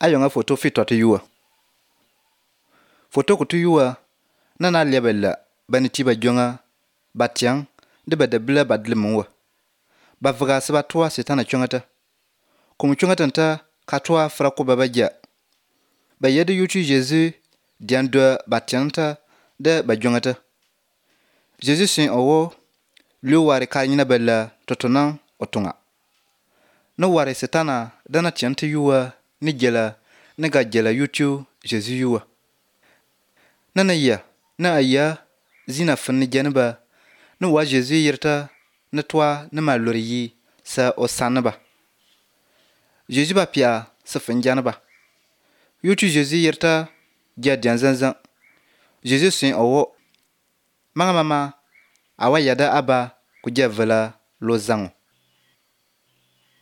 ayonga photo fi to yuwa photo ku yuwa nana lebella bani tiba jonga batiang de badabla badlemonwa bavga seba toa setana chongata comme chongata ta katwa frako babaja bayede yutu Jésus diando batianta de bajongata Jésus sin owo lu ware kanyina bella totona otunga no ware setana dana tianta yuwa ni jela ne ga jela yutu Jésus yuwa nana ya na aya zina fanni janaba no wa Jésus yirta na toa na malori sa osanaba Jésus ba pia sa fanjanaba yutu Jésus yirta jadian zanzan Jésus sin owo mama awa yada aba ku javela lo zango